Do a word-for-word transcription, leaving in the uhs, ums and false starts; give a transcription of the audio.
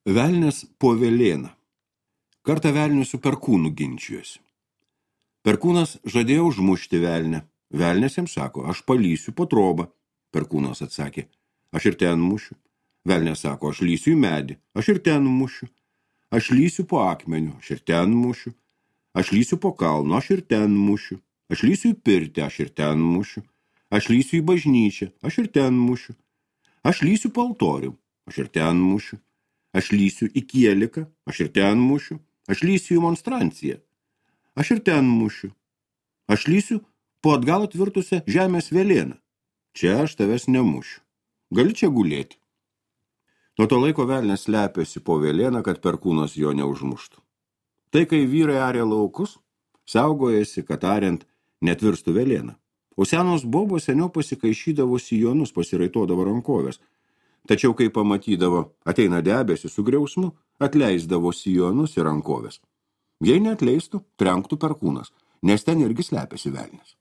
Velnias po velėną. Kartą velnius su perkūnu ginčijosi. Perkūnas žadėjo užmušti velnę. Velnias jam sako, aš palysiu po trobą. Perkūnas atsakė, aš ir ten mušiu. Velnias sako, aš lysiu į medį, aš ir ten mušiu. Aš lysiu po akmeniu, aš ir ten mušiu. Aš lysiu po kalnu, aš ir ten mušiu. Aš lysiu į pirtį, aš ir ten mušiu. Aš lysiu į bažnyčią, aš ir ten mušiu. Aš lysiu po altorių, aš ir ten mušiu. Aš lysiu į kieliką, aš ir ten mušiu. Aš lysiu į monstranciją, aš ir ten mušiu. Aš lysiu po atgal atvirtusią žemės velėną. Čia aš tavęs nemušiu. Gali čia gulėti. Nuo to laiko velnias slepiasi po velėną, kad perkūnas jo neužmuštų. Tai, kai vyrai arė laukus, saugojasi, kad ariant netvirstų velėną. O senos bobos seniau pasikaišydavo sijonus, pasiraitodavo rankovės. Tačiau, kai pamatydavo, ateina debesį su griausmu, atleisdavo sijonus ir rankovės. Jei neatleistų, trenktų perkūnas, nes ten irgi slepiasi velnias.